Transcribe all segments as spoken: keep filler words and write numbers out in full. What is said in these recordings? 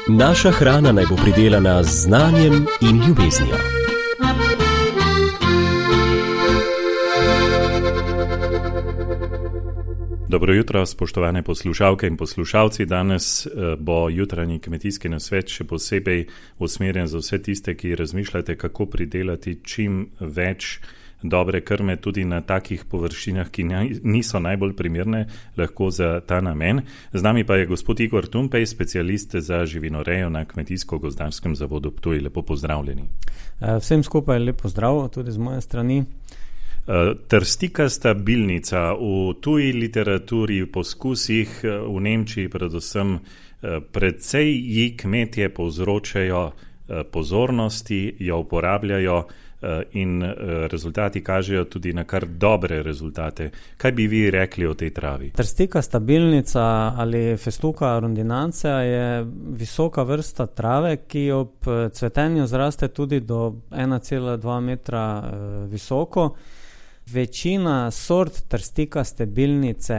Naša hrana naj bo pridelana z znanjem in ljubeznijo. Dobro jutro, spoštovane poslušalke in poslušalci. Danes bo jutranji kmetijski nasvet še posebej usmerjen za vse tiste, ki razmišljate, kako pridelati čim več dobre krme tudi na takih površinah, ki niso najbolj primerne lahko za ta namen. Z nami pa je gospod Igor Tumpej, specialist za živinorejo na Kmetijsko-gozdarskem zavodu Ptuj. Lepo pozdravljeni. Vsem skupaj lep pozdrav tudi z moje strani. Trstikasta bilnica v tuji literaturi, v poskusih v Nemčiji predvsem, precej ji kmetje povzročajo pozornosti, jo uporabljajo in rezultati kažejo tudi na kar dobre rezultate. Kaj bi vi rekli o tej travi? Trstikasta bilnica ali Festuca rondinanca je visoka vrsta trave, ki ob cvetenju zraste tudi do ena cela dva metra visoko. Večina sort trstikaste bilnice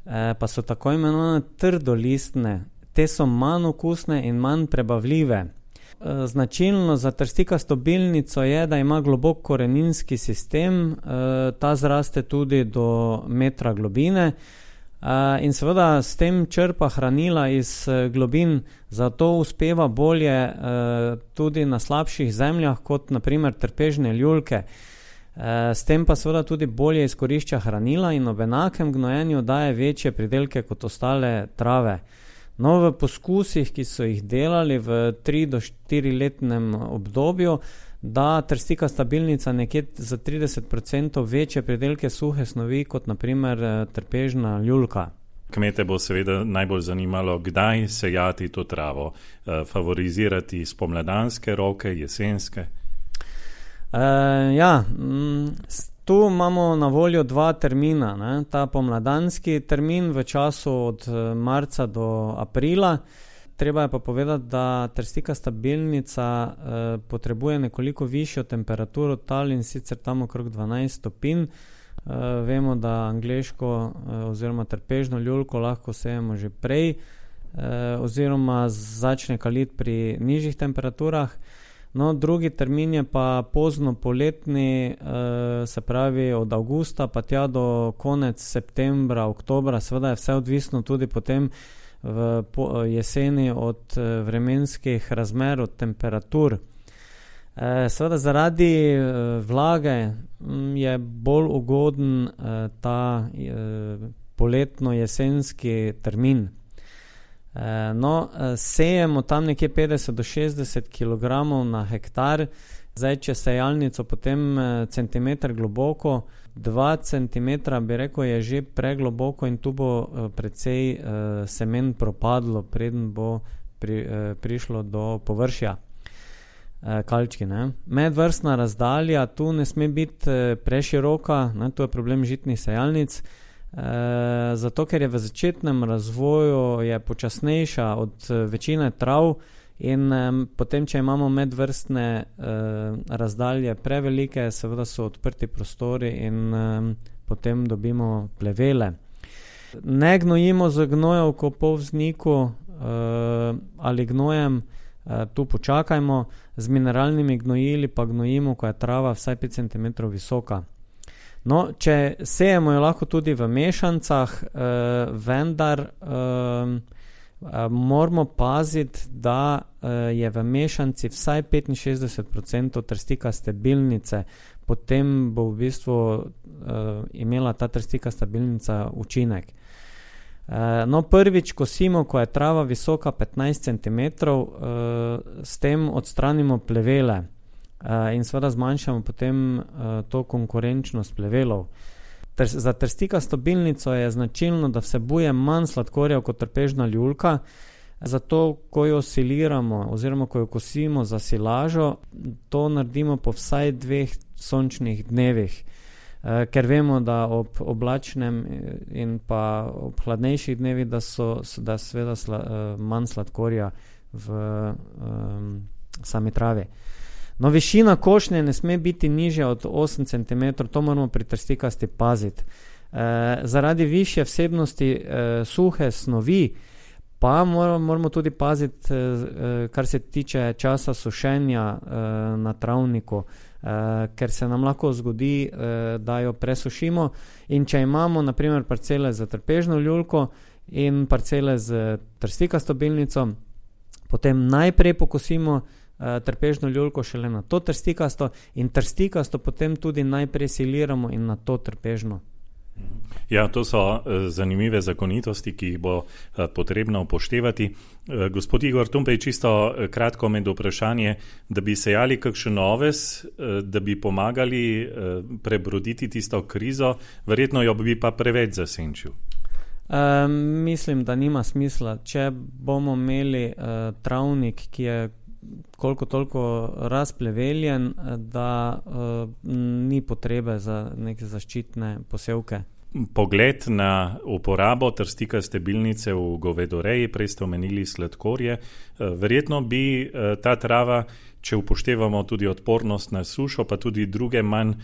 eh, pa so tako imenovane trdolistne. Te so manj okusne in manj prebavljive. E, značilno za trstikasto bilnico je, da ima globok koreninski sistem, e, ta zraste tudi do metra globine e, in seveda s tem črpa hranila iz globin, zato uspeva bolje e, tudi na slabših zemljah kot na primer trpežne ljulke. S tem pa seveda tudi bolje izkorišča hranila in ob enakem gnojenju daje večje pridelke kot ostale trave. No, v poskusih, ki so jih delali v tri do štiri letnem obdobju, da trstikasta bilnica nekje za trideset procentov večje pridelke suhe snovi kot na primer trpežna ljulka. Kmete bo seveda najbolj zanimalo, kdaj sejati to travo, favorizirati spomladanske roke, jesenske. Uh, ja, m, tu imamo na voljo dva termina, ne? Ta pomladanski termin v času od marca do aprila. Treba je pa povedati, da trstikasta bilnica uh, potrebuje nekoliko višjo temperaturo tal in sicer tam okrog dvanajst stopinj. Uh, vemo, da angleško uh, oziroma trpežno ljulko lahko sejemo že prej uh, oziroma začne kaliti pri nižjih temperaturah. No, drugi termin je pa pozno poletni, se pravi od avgusta pa tja do konec septembra, oktobra. Seveda je vse odvisno tudi potem v jeseni od vremenskih razmer, od temperatur. Seveda zaradi vlage je bolj ugoden ta poletno-jesenski termin. No, sejemo tam nekje petdeset do šestdeset kilogramov na hektar. Zdaj, če sejalnico potem centimeter globoko, dva centimetra bi rekel je že pregloboko in tu bo precej semen propadlo, preden bo pri, prišlo do površja kalčki. Ne? Medvrstna razdalja tu ne sme biti preširoka, ne? Tu je problem žitnih sejalnic. E, zato, ker je v začetnem razvoju je počasnejša od večine trav in e, potem, če imamo medvrstne e, razdalje prevelike, seveda so odprti prostori in e, potem dobimo plevele. Ne gnojimo z gnojevko po vzniku e, ali gnojem, e, tu počakajmo, z mineralnimi gnojili pa gnojimo, ko je trava vsaj pet centimetrov visoka. No, če sejemo jo lahko tudi v mešancah, eh, vendar eh, moramo paziti, da eh, je v mešanci vsaj petinšestdeset procentov trstikaste bilnice, potem bo v bistvu eh, imela ta trstikasta bilnica učinek. Eh, no, prvič kosimo, ko je trava visoka petnajst centimetrov, eh, s tem odstranimo plevele. Uh, in seveda zmanjšamo potem uh, to konkurenčnost plevelov. Ter, za trstikasto bilnico je značilno, da vsebuje manj sladkorja kot trpežna ljulka, zato ko jo siliramo oziroma ko jo kosimo za silažo, to naredimo po vsaj dveh sončnih dnevih, uh, ker vemo, da ob oblačnem in pa ob hladnejših dnevih, da so da seveda sla, uh, manj sladkorja v um, sami travi. No, višina košnje ne sme biti nižja od osem centimetrov, to moramo pri trstikasti paziti. zaradi višje vsebnosti suhe snovi pa moramo tudi paziti, kar se tiče časa sušenja na travniku, ker se nam lahko zgodi, da jo presušimo, in če imamo na primer parcele z trpežno ljulko in parcele z trstikasto bilnico, potem najprej pokosimo trpežno ljulko, šele na to trstikasto, in trstikasto potem tudi najprej siliramo in na to trpežno. Ja, to so zanimive zakonitosti, ki jih bo potrebno upoštevati. Gospod Igor Tumpej, čisto kratko med vprašanje, da bi sejali kakšen oves, da bi pomagali prebroditi tisto krizo, verjetno jo bi pa preveč zasenčil. Um, mislim, da nima smisla. Če bomo imeli uh, travnik, ki je koliko toliko razpleveljen, da uh, ni potrebe za neke zaščitne posevke. Pogled na uporabo trstikaste bilnice v govedoreji, prej ste omenili sladkorje. Verjetno bi ta trava, če upoštevamo tudi odpornost na sušo, pa tudi druge manj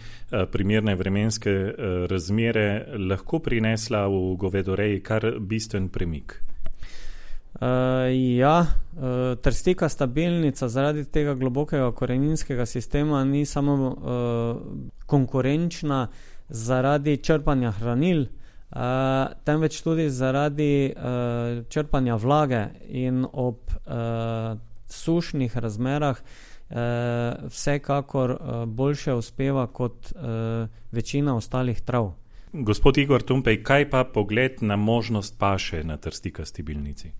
primerne vremenske razmere, lahko prinesla v govedoreji kar bistven premik. Uh, ja, uh, trstikasta bilnica zaradi tega globokega koreninskega sistema ni samo uh, konkurenčna zaradi črpanja hranil, uh, temveč tudi zaradi uh, črpanja vlage, in ob uh, sušnih razmerah uh, vsekakor uh, boljše uspeva kot uh, večina ostalih trav. Gospod Igor Tumpej, kaj pa pogled na možnost paše na trstikasti bilnici?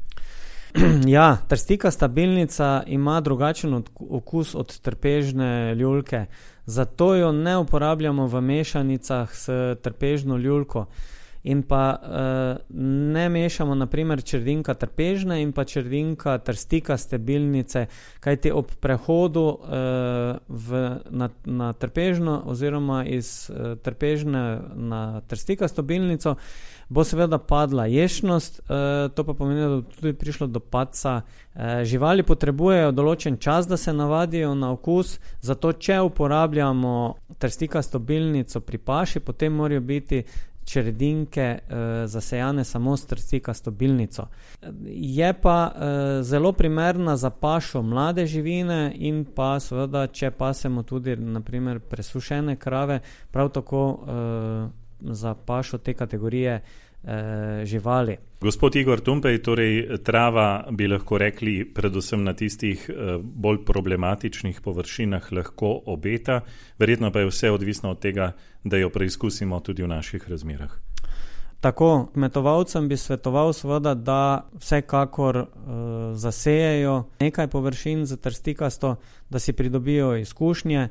Ja, trstikasta bilnica ima drugačen okus od trpežne ljulke, zato jo ne uporabljamo v mešanicah s trpežno ljulko. In pa uh, ne mešamo na primer čredinka trpežne in pa čredinka trstikaste bilnice, kajti ob prehodu uh, v, na, na trpežno oziroma iz uh, trpežne na trstikasto bilnico bo seveda padla ješnost, uh, to pa pomeni, da bo tudi prišlo do padca. Uh, živali potrebujejo določen čas, da se navadijo na okus, zato če uporabljamo trstikasto bilnico pri paši, potem morajo biti čredinke uh, zasejane samo s trstikasto bilnico. Je pa uh, zelo primerna za pašo mlade živine in pa seveda, če pasemo tudi na primer presušene krave, prav tako uh, za pašo te kategorije uh, živali. Gospod Igor Tumpej, torej trava bi lahko rekli predvsem na tistih uh, bolj problematičnih površinah lahko obeta, verjetno pa je vse odvisno od tega, da jo preizkusimo tudi v naših razmerah. Tako, kmetovalcem bi svetoval seveda, da vsekakor uh, zasejejo nekaj površin za trstikasto, da si pridobijo izkušnje.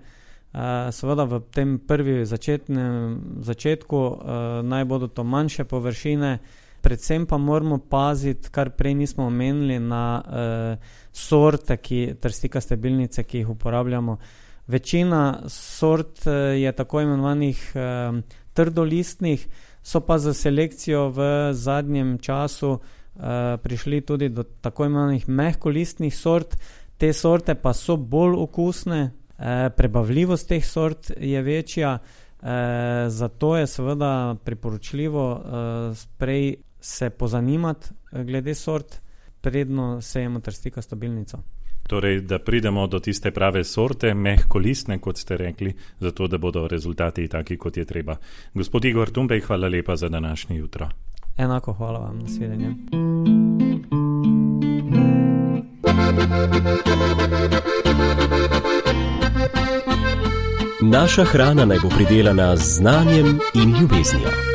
Uh, seveda v tem prvi začetnem začetku uh, naj bodo to manjše površine, predvsem pa moramo paziti, kar prej nismo omenili, na uh, sorte ki, trstikaste bilnice, ki jih uporabljamo. Večina sort uh, je tako imenovanih uh, trdolistnih, so pa za selekcijo v zadnjem času uh, prišli tudi do tako imenovanih mehkolistnih sort. Te sorte pa so bolj okusne, prebavljivost teh sort je večja, eh, zato je seveda priporočljivo eh, prej se pozanimati glede sort, predno sejemo trstikasto bilnico. Torej, da pridemo do tiste prave sorte, mehkolistne, kot ste rekli, zato da bodo rezultati taki, kot je treba. Gospod Igor Tumpej, hvala lepa za današnje jutro. Enako hvala vam, nasvidenje. Naša hrana naj bo pridelana z znanjem in ljubeznijo.